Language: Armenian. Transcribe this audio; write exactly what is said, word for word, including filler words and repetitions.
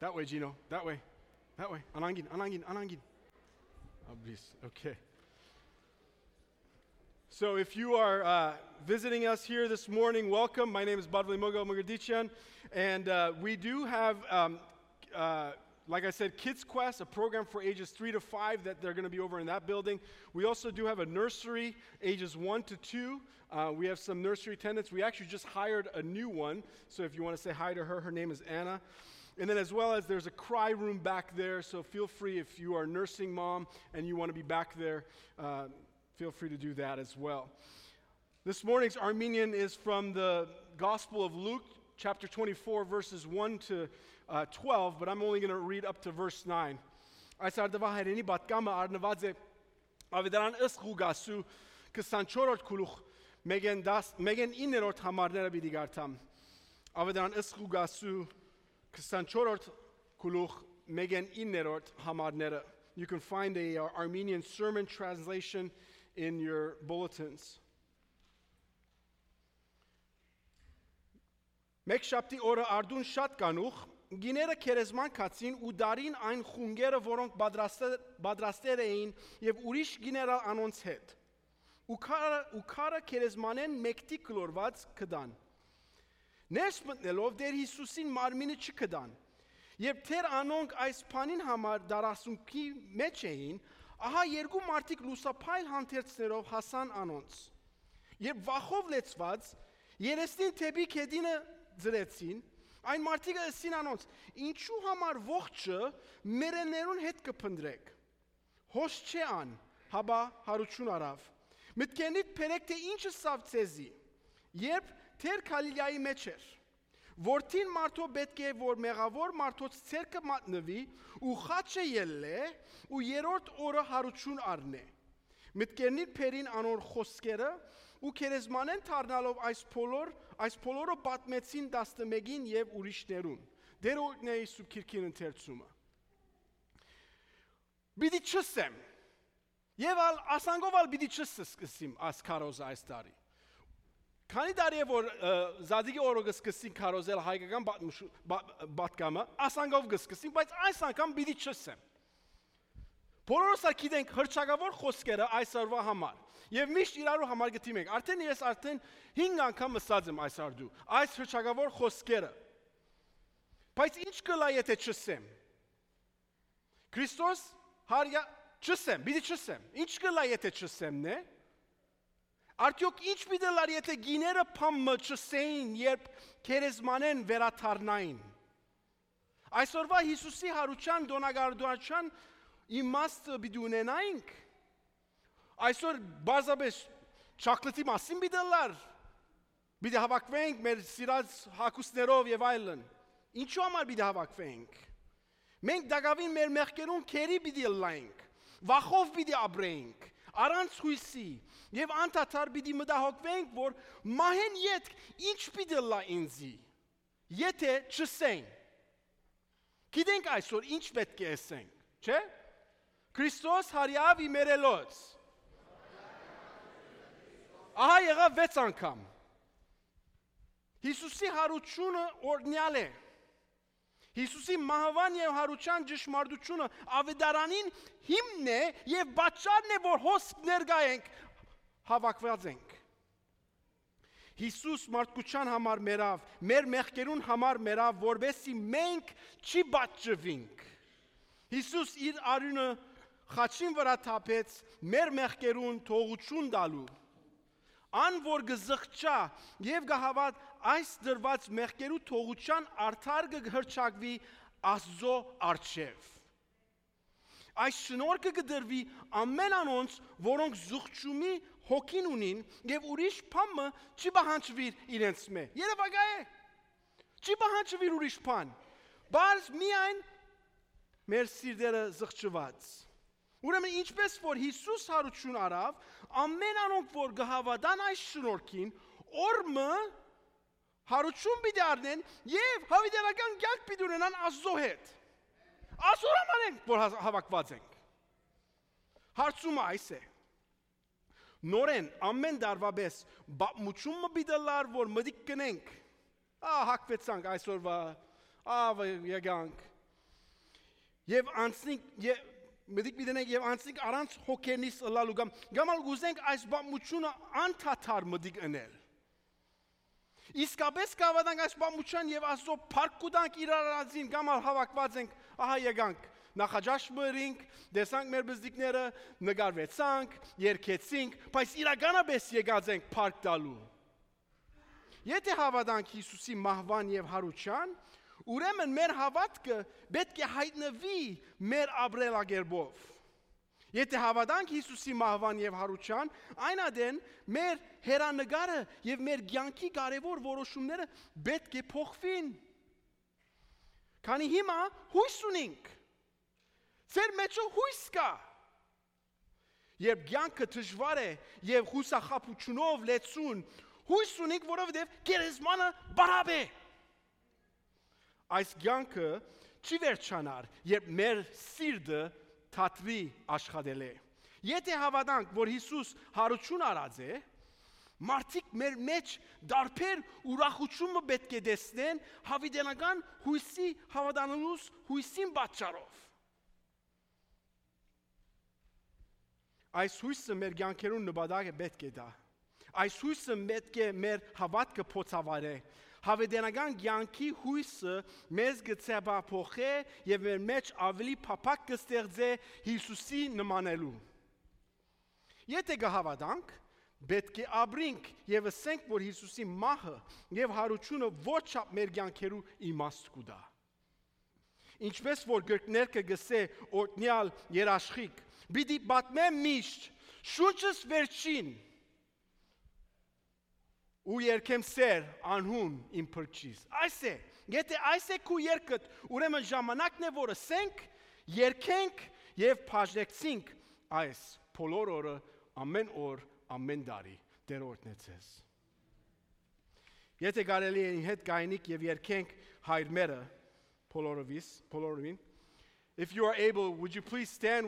That way, Gino. That way. That way. Anangin, anangin, anangin. Oh, please. Okay. So if you are uh, visiting us here this morning, welcome. My name is Badvali Mogo Mogadichan, and uh, we do have, um, uh, like I said, Kids Quest, a program for ages three to five that they're going to be over in that building. We also do have a nursery, ages one to two. Uh, we have some nursery attendants. We actually just hired a new one, so if you want to say hi to her, her name is Anna. And then as well as there's a cry room back there, so feel free if you are a nursing mom and you want to be back there, uh, feel free to do that as well. This morning's Armenian is from the Gospel of Luke, chapter twenty-four, verses one to twelve, but I'm only going to read up to verse nine. Այս արդվա հայրենի պատկամը արնված է ավետարան ըստ Ղուկասու քսանչորրորդ գլուխ մեգեն իններորդ համարները պիտի գարտամ։ Ավետարան ըստ Ղուկասու քսանչորրորդ գլուխ մեգեն իններորդ համարները. You can find a uh, Armenian sermon translation in your bulletins. Մեկ շաբթի օրը արդուն շատ կանուխ գիները քերեզման կացին ու դարին այն խունգերը, որոնք պատրաստել էին եւ ուրիշ գիներալ անոնց հետ։ Ու քարը ու քարը քերեզմանեն մեկտի կլորված կդան։ Ներս մտնելով դեր Հիսուսին մարմինը չկդան։ Երբ թեր անոնք այս բանին համար դարասունքի մեջ էին, ահա երկու մարդիկ լուսափայլ հանդերձներով հասան անոնց։ Երբ վախով լեցված երեսին թեպի քեդինը ձրեցին, այն մարդիկը ասին անոնց. ինչու համար ողջը մերեներուն հետ կփնդրեք։ Հոս չէ ան, հաբա հարություն արավ։ Մտքենիդ փերեք թե ինչը սավ ցեզի։ Երբ թեր Գալիլեայի մեջ էր, Որտին մարդո պետք է որ մեղավոր մարդոց ցերկը մատնվի ու խաչը ելլե ու երրորդ օրը հարություն առնե։ Մտքերնին փերին անոր խոսքերը ու քերեզմանեն թարնալով այս փոլոր այս փոլորը պատմեցին տասնմեկին եւ ուրիշներուն։ Դեր օրնեի սուբքիրքին ընթերցումը։ Բիդի չսեմ։ Եվ ալ ասանգով ալ բիդի չսկսիմ աս քարոզը այս տարի։ Քանի տարի է որ Զադիգի օրը սկսին քարոզել հայկական պատկամը, ասանգով սկսին, բայց այս անգամ պիտի չսեմ։ Բոլորս գիտենք հրճակավոր խոսքերը այս օրվա համար, եւ միշտ իրարու համար գտիմ ենք։ Արդեն ես արդեն հինգ անգամ ասած եմ այս արդու, այս հրճակավոր խոսքերը։ Բայց ինչ կլա եթե չսեմ։ Քրիստոս հարյա չսեմ, պիտի չսեմ։ Ինչ կլա եթե չսեմն է։ Արդյոք ինչ պիտելար եթե գիները փամը չսեին, երբ քերեզմանեն վերաթարնային։ Այսօրվա Հիսուսի հարության դոնագարդուարչան իմաստը պիտի ունենայինք։ Այսօր բարձրապես չակլետի մասին պիտելար։ Պիտի հավաքվենք մեր սիրած հագուստներով եւ այլն։ Ինչու համար պիտի հավաքվենք։ Մենք դակավին մեր մեղքերուն քերի պիտի լայենք։ Վախով պիտի ապրենք։ Առանց հույսի եւ անդադար պիտի մտահոգվենք, որ մահեն յետ ինչ պիտի լա ինձի, եթե չսենք։ Գիտենք այսօր ինչ պետք է ասենք, չէ՞։ Քրիստոս հարյավ իմերելոց։ Ահա եղավ վեց անգամ։ Հիսուսի հարությունը օրնյալ է։ Հիսուսի մահվան եւ հարության ճշմարտությունը ավետարանին հիմն է եւ պատճառն է որ հոսք ներգայենք հավաքված ենք։ Հիսուս մարդկության համար մերավ, մեր մեղքերուն համար մերավ, որովհետեւ մենք չի պատժվենք։ Հիսուս իր արյունը խաչին վրա թափեց մեր մեղքերուն թողություն տալու։ Ան որ գզղճա եւ գահավատ այս դրված մեղքերու թողության արդար կհրճակվի Աստծո առջև։ Այս շնորհքը կդրվի ամեն անոնց, որոնք զուղջումի հոգին ունին եւ ուրիշ բանը չի պահանջվիր իրենց մե։ Երևակա է։ Չի պահանջվիր ուրիշ բան։ Բայց միայն մեր սիրտերը զղջված։ Ուրեմն ինչպես որ Հիսուս հարություն արավ, ամեն անոնք որ գահավադան այս շնորհքին, օրմը հարություն պիտի առնեն եւ հավիտենական կյանք պիտի ունենան Աստծո հետ։ Այսօր ամանենք որ հավաքված ենք։ Հարցումը այս է. նորեն ամեն դարվաբես բապմուչումը բիդալար որ մդիկ կնենք ահ հակվեցանք այսօրվա ավ եկանք Եվ անցնենք եւ մտիկ միտենք եւ անցնենք առանց հոգենից լալու կամ գամալ գուզենք այս բամությունը անդադար մտիկ ընել։ Իսկապես կավադանք այս բամության եւ ասո փարկուդանք իրարածին գամալ հավաքված ենք, ահա եկանք նախաճաշմրինք, դեսանք մեր բզդիկները, նկարվեցանք, երգեցինք, բայց իրականապես եկած ենք փարք տալու։ Եթե հավատանք Հիսուսի մահվան եւ հարության, ուրեմն մեր հավատքը պետք է հայտնվի մեր ապրելակերպով։ Եթե հավատանք Հիսուսի մահվան եւ հարության, այն ադեն մեր հերանեկարը եւ մեր կյանքի կարևոր որոշումները պետք է փոխվին։ Քանի հիմա հույս ունենք։ Ձեր մեջ հույս կա։ Երբ կյանքը դժվար է եւ հուսախաբությունով լեցուն, հույս ունենք, որովհետեւ գերեզմանը բարավ է։ Այս կյանքը չի վերջանար, երբ մեր սիրտը թատրի աշխատել է։ Եթե հավատանք, որ Հիսուս հարություն արած է, մարդիկ մեր մեջ դարբեր ուրախությունը պետք է տեսնեն հավիտենական հույսի հավատանալուց հույսին պատճառով։ Այս հույսը մեր կյանքերուն նպատակը պետք է դա։ Այս հույսը պետք է մեր հավատքը փոցավարե։ Հավիտենական կյանքի հույսը մեզ գծեփափոխե եւ մեր մեջ ավելի փափակ կստեղծե Հիսուսի նմանելու։ Եթե կհավատանք, պետք է ապրենք եւ ասենք, որ Հիսուսի մահը եւ հարությունը ոչ չափ մեր կյանքերու իմաստ կուտա։ Ինչպես որ գրքներքը գսե օրտնյալ երաշխիք, պիտի պատմեմ միշտ, շուրջս վերջին ու երկեմ սեր անհուն իմ փրկչիս։ Այս է, եթե այս է քու երկդ, ուրեմն ժամանակն է, որ ասենք, երկենք եւ բաժնեցինք այս բոլոր օրը, ամեն օր, ամեն տարի Տեր օրհնեցես։ Եթե կարելի է հետ գայնիկ եւ երկենք հայր մերը բոլորովիս, բոլորովին, if you are able, would you please stand